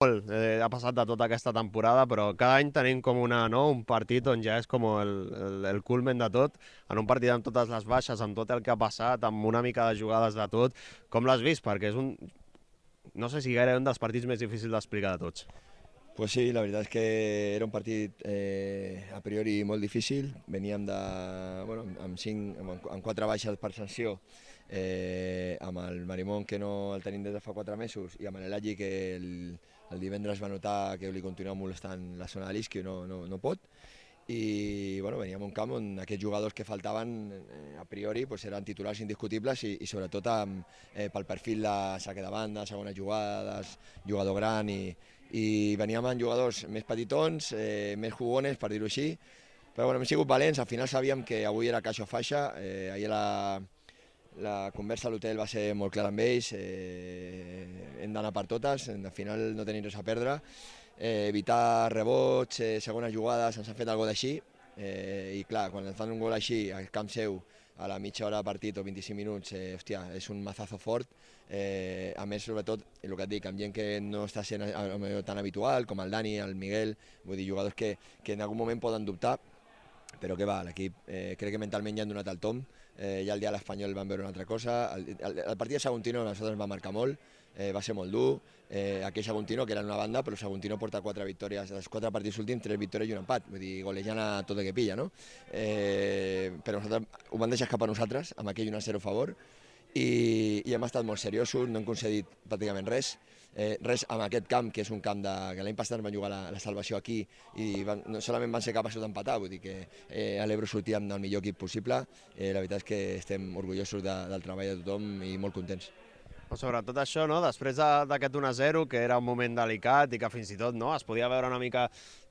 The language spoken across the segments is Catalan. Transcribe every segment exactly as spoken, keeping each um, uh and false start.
molt, eh, ha passat de tota aquesta temporada, però cada any tenim com una, no? un partit on ja és com el, el, el culmen de tot, en un partit amb totes les baixes, amb tot el que ha passat, amb una mica de jugades de tot. Com l'has vist? Perquè és un, no sé si gairebé un dels partits més difícils d'explicar de tots. Pues sí, la veritat és que era un partit eh, a priori molt difícil. Veníem de, bueno, amb, cinc, amb, amb quatre baixes per sanció, eh, amb el Marimón, que no el tenim des de fa quatre mesos, i amb l'Elagi, que el, el divendres va notar que li continuava molestant la zona de l'isqui i no, no, no pot. I bueno, veníem a un camp on aquests jugadors que faltaven eh, a priori pues, eren titulars indiscutibles i, i sobretot amb, eh, pel perfil de saque de banda, segones jugades, jugador gran i, i veníem amb jugadors més petitons, eh, més jugones, per dir-ho així, però bueno, hem sigut valents, al final sabíem que avui era caixa o faixa, eh, ahir la, la conversa a l'hotel va ser molt clara amb ells, eh, hem d'anar per totes, al final no tenim res a perdre, eh, evitar rebots, eh, segones jugades, ens han fet algo d'així, eh, i clar, quan ens fan un gol així al camp seu, a la mitja hora de partit o vint-i-cinc minuts, eh, hòstia, és un mazazo fort, eh, a més, sobretot, el que et dic, amb gent que no està sent tan habitual, com el Dani, el Miguel, vull dir, jugadors que, que en algun moment poden dubtar, però que va, l'equip eh, crec que mentalment ja han donat el tom, eh, ja el dia de l'Espanyol van veure una altra cosa, el, el, el partit de Saguntino a nosaltres ens va marcar molt, eh, va ser molt dur, eh, aquell Saguntino que era en una banda, però Saguntino porta quatre victòries, dels quatre partits últims, tres victòries i un empat, vull dir, golejant a tot el que pilla, no? Eh, però nosaltres ho van deixar escapar a nosaltres, amb aquell un a zero a favor, i, i hem estat molt seriosos, no hem concedit pràcticament res, eh, res amb aquest camp, que és un camp de, que l'any passat van jugar la, la salvació aquí i van, no solament van ser capaços d'empatar, vull dir que eh, a l'Ebro sortíem del millor equip possible, eh, la veritat és que estem orgullosos de, del treball de tothom i molt contents. Sobretot això, no? Després d'aquest un a zero, que era un moment delicat i que fins i tot no, es podia veure una mica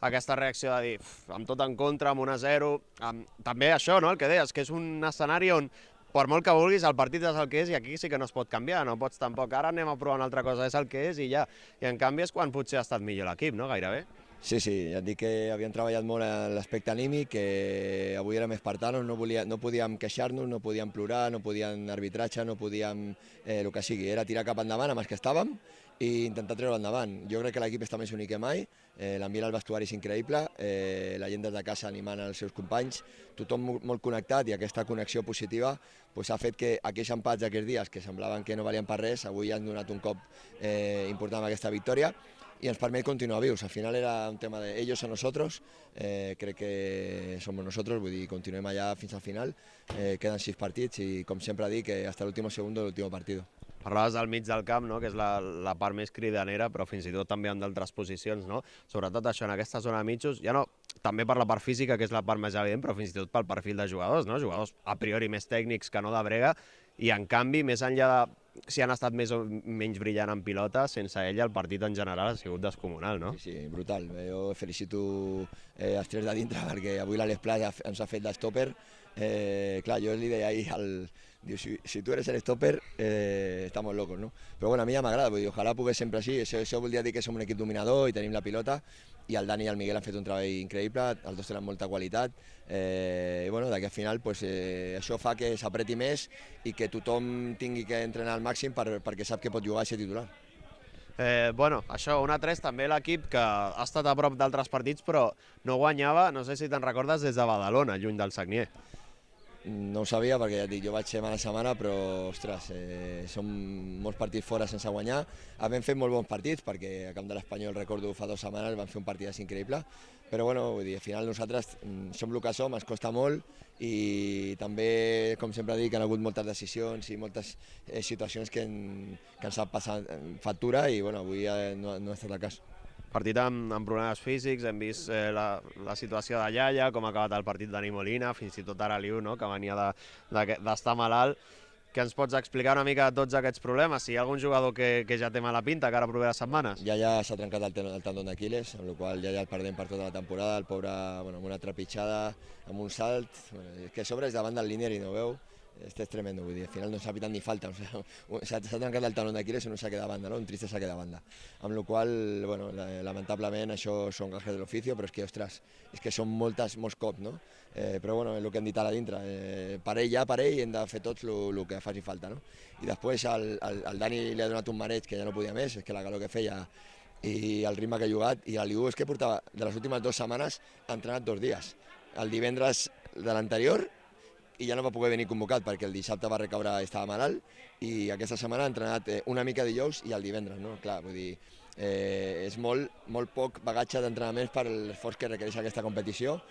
aquesta reacció de dir, amb tot en contra, amb un a zero, amb... també això, no? El que deies, que és un escenari on per molt que vulguis, el partit és el que és i aquí sí que no es pot canviar, no pots tampoc, ara anem a provar una altra cosa, és el que és i ja. I en canvi és quan potser ha estat millor l'equip, no? Gairebé. Sí, sí, ja et dic que havíem treballat molt en l'aspecte anímic, que avui érem espartanos, no, volia, no podíem queixar-nos, no podíem plorar, no podíem arbitratge, no podíem eh, el que sigui, era tirar cap endavant amb els que estàvem i intentar treure endavant. Jo crec que l'equip està més unit que mai, eh, l'ambient al vestuari és increïble, eh, la gent des de casa animant els seus companys, tothom molt connectat i aquesta connexió positiva pues, ha fet que aquells empats d'aquests dies que semblaven que no valien per res, avui han donat un cop eh, important amb aquesta victòria i ens permet continuar vius. Al final era un tema de ellos a nosotros, eh, crec que somos nosotros, vull dir, continuem allà fins al final, eh, queden sis partits i com sempre dic, que hasta l'último segundo l'último partido. Parlaves del mig del camp, no? Que és la, la part més cridanera, però fins i tot també en d'altres posicions, no? Sobretot això, en aquesta zona de mitjos, ja no, també per la part física, que és la part més evident, però fins i tot pel perfil de jugadors, no? Jugadors a priori més tècnics que no de brega, i en canvi, més enllà de si han estat més o menys brillant en pilota, sense ella el partit en general ha sigut descomunal, no? Sí, sí, brutal. Jo felicito eh, els tres de dintre perquè avui l'Àlex Pla ens ha fet d'estòper. Eh, clar, jo li deia ahir al... Diu, si, si tu eres el stopper, eh, estamos locos, no? Però bueno, a mi ja m'agrada, vull dir, ojalà pogués sempre així, això, això voldria dir que som un equip dominador i tenim la pilota, i el Dani i el Miguel han fet un treball increïble, els dos tenen molta qualitat, eh, i bueno, d'aquí al final pues, eh, això fa que s'apreti més i que tothom tingui que entrenar al màxim per, perquè sap que pot jugar a ser titular. Eh, bueno, això, un a tres, també l'equip que ha estat a prop d'altres partits, però no guanyava, no sé si te'n recordes, des de Badalona, lluny del Sagnier. No ho sabia perquè ja et dic, jo vaig setmana a setmana, però ostres, eh, són molts partits fora sense guanyar. Hem fet molt bons partits perquè a Camp de l'Espanyol, recordo, fa dues setmanes van fer un partit increïble, però bueno, vull dir, al final nosaltres som el que som, ens costa molt i també, com sempre dic, han hagut moltes decisions i moltes eh, situacions que, en, que ens han passat factura i bueno, avui eh, no, no ha estat el cas. Partit amb, amb problemes físics, hem vist eh, la, la situació de Yaya, com ha acabat el partit Dani Molina, fins i tot ara Liu, no? Que venia d'estar de, de, malalt. Que ens pots explicar una mica tots aquests problemes? Si hi ha algun jugador que, que ja té mala pinta, que ara properes setmanes? Yaya s'ha trencat el, el tendon d'Aquiles, amb la qual ja el perdem per tota la temporada, el pobre bueno, amb una trepitjada, amb un salt, bueno, que a sobre és davant del línier i no veu. Este és tremendo, vull dir, al final no s'ha pitat ni falta, o sea, s'ha trencat el talón d'Aquiles i no saque de banda, no? Un triste saque de banda. Amb la qual bueno, lamentablement això són gajes de l'oficio, però és que, ostres, és que són moltes, molts cops, no? Eh, però bueno, és el que hem dit ara dintre, eh, per ell ja, per ell, hem de fer tots el que faci falta, no? I després al, al, al Dani li ha donat un mareig que ja no podia més, és que la calor que feia i el ritme que ha jugat, i l'Aliu és que portava, de les últimes dues setmanes, ha entrenat dos dies. El divendres de l'anterior, i ja no va poder venir convocat perquè el dissabte va recaure, estava malalt, i aquesta setmana ha entrenat una mica dijous i el divendres, no? Clar, vull dir, eh, és molt, molt poc bagatge d'entrenaments per l'esforç que requereix aquesta competició,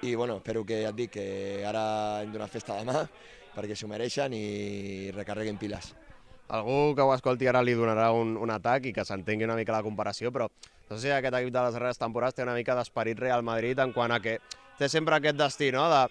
i bueno, espero que, ja et dic, que ara hem donat festa demà perquè s'ho mereixen i recarreguin piles. Algú que ho escolti ara li donarà un, un atac i que s'entengui una mica la comparació, però no sé si aquest equip de les darreres temporades té una mica d'esperit Real Madrid en quant a que té sempre aquest destí, no?, de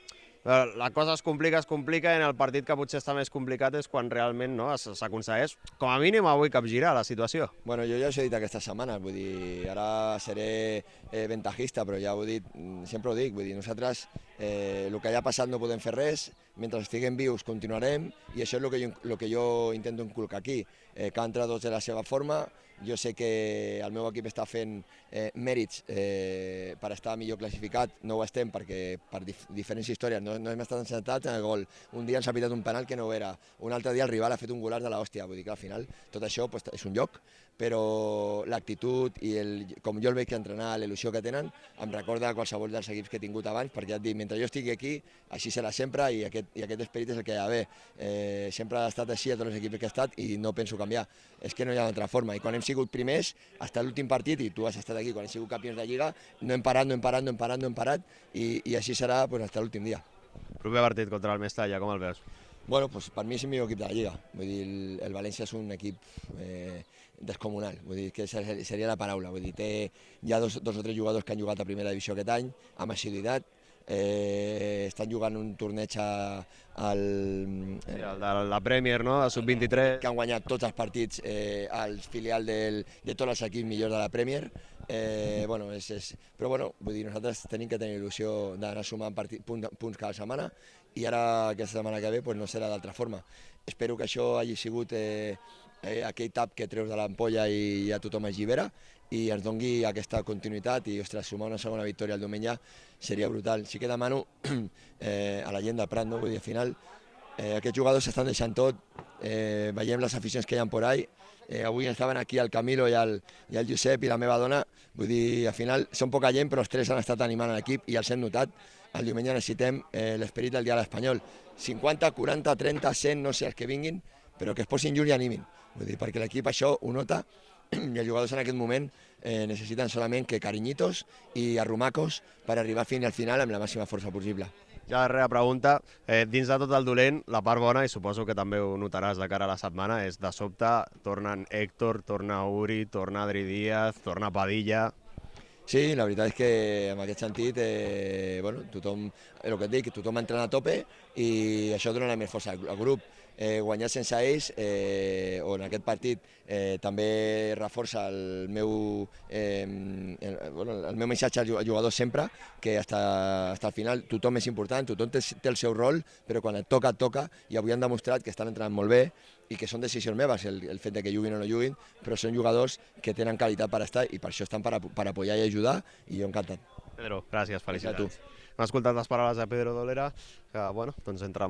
la cosa es complica, es complica, i en el partit que potser està més complicat és quan realment no, s'aconsegueix, com a mínim avui, capgirar la situació. Bueno, jo ja us he dit aquesta setmana, vull dir, ara seré eh, ventajista, però ja ho he dit, sempre ho dic, vull dir, nosaltres eh, el que ja ha passat no podem fer res, mentre estiguem vius continuarem, i això és el que jo, el que jo intento inculcar aquí. Eh, cada entrenador de la seva forma, jo sé que el meu equip està fent eh, mèrits eh, per estar millor classificat, no ho estem perquè per dif diferents històries no, no hem estat encertats en el gol. Un dia ens ha pitat un penal que no ho era, un altre dia el rival ha fet un golaç de l'hòstia, vull dir que al final tot això pues, és un lloc, però l'actitud i el, com jo el veig entrenar, l'il·lusió que tenen, em recorda qualsevol dels equips que he tingut abans, perquè ja et dic, mentre jo estigui aquí, així serà sempre, i aquest, i aquest esperit és el que hi ha d'haver. Eh, sempre ha estat així a tots els equips que he estat i no penso canviar, és que no hi ha d'altra forma, i quan hem sigut primers, fins a l'últim partit, i tu has estat aquí, quan hem sigut campions de Lliga, no hem parat, no hem parat, no hem parat, no hem parat, i, i així serà pues, fins a l'últim dia. Proper partit contra el Mestalla, com el veus? Bueno, pues per mi és el millor equip de la Lliga. Vull dir, el, el València és un equip eh, descomunal, vull dir, que seria la paraula. Vull dir, té, hi ha dos, dos o tres jugadors que han jugat a primera divisió aquest any, amb assiduïtat, eh, estan jugant un torneig a, al... Sí, el de la Premier, no?, de sub vint-i-tres. Que han guanyat tots els partits eh, al filial del, de tots els equips millors de la Premier. Eh, bueno, és, és... Però bueno, vull dir, nosaltres tenim que tenir il·lusió d'anar sumant partit, punt, punts cada setmana, i ara aquesta setmana que ve pues, no serà d'altra forma. Espero que això hagi sigut eh, eh, aquell tap que treus de l'ampolla i ja tothom es llibera i ens doni aquesta continuïtat, i ostres, sumar una segona victòria el diumenge seria brutal. Sí que demano eh, a la gent del Prat, no? Vull dir, al final eh, aquests jugadors s'estan deixant tot, eh, veiem les aficions que hi ha por ahí. Eh, avui estaven aquí el Camilo i el, i el Josep i la meva dona, vull dir, al final són poca gent però els tres han estat animant l'equip i els hem notat. El diumenge necessitem eh, l'esperit del dia a l'Espanyol, cinquanta, quaranta, trenta, cent, no sé els que vinguin, però que es posin junts i animin, vull dir, perquè l'equip això ho nota i els jugadors en aquest moment eh, necessiten solament que carinyitos i arrumacos per arribar fins al final amb la màxima força possible. Ja la darrera pregunta, eh, dins de tot el dolent, la part bona, i suposo que també ho notaràs de cara a la setmana, és de sobte tornen Héctor, torna Uri, torna Adri Díaz, torna Padilla... Sí, la veritat és que en aquest sentit, eh, bueno, tothom, el que et dic, tothom entrena a tope i això dona més força al grup. Eh, guanyar sense ells, eh, o en aquest partit, eh, també reforça el meu, eh, el, bueno, el meu missatge als jugadors sempre, que fins al final tothom és important, tothom té, té el seu rol, però quan et toca, et toca, i avui han demostrat que estan entrenant molt bé i que són decisions meves, el, el fet de que juguin o no juguin, però són jugadors que tenen qualitat per estar i per això estan per, per apoyar i ajudar, i jo encantat. Pedro, gràcies, felicitats. Gràcies a tu. Hem escoltat les paraules de Pedro Dolera, que, bueno, doncs entre